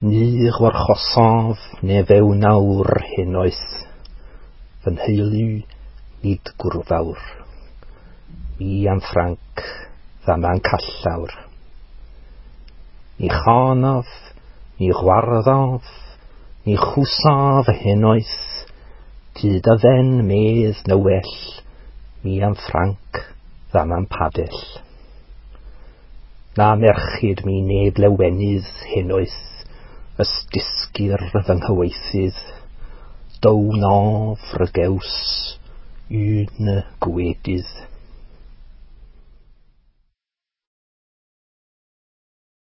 Ni warchosaf ne fewnawr henoes, fy nheulu nid gwrfawr. Mi am Ffranc ddama'n callawr. Ni chanaf, ni chwarddaf, ni chwsaf henoes, tyd a fen medd na well, mi am Ffranc ddama'n padell. Na merchyd mi neb lewenydd henoes, ysdysgir fy nghyweithydd, dow naf rygews, un y gwedydd.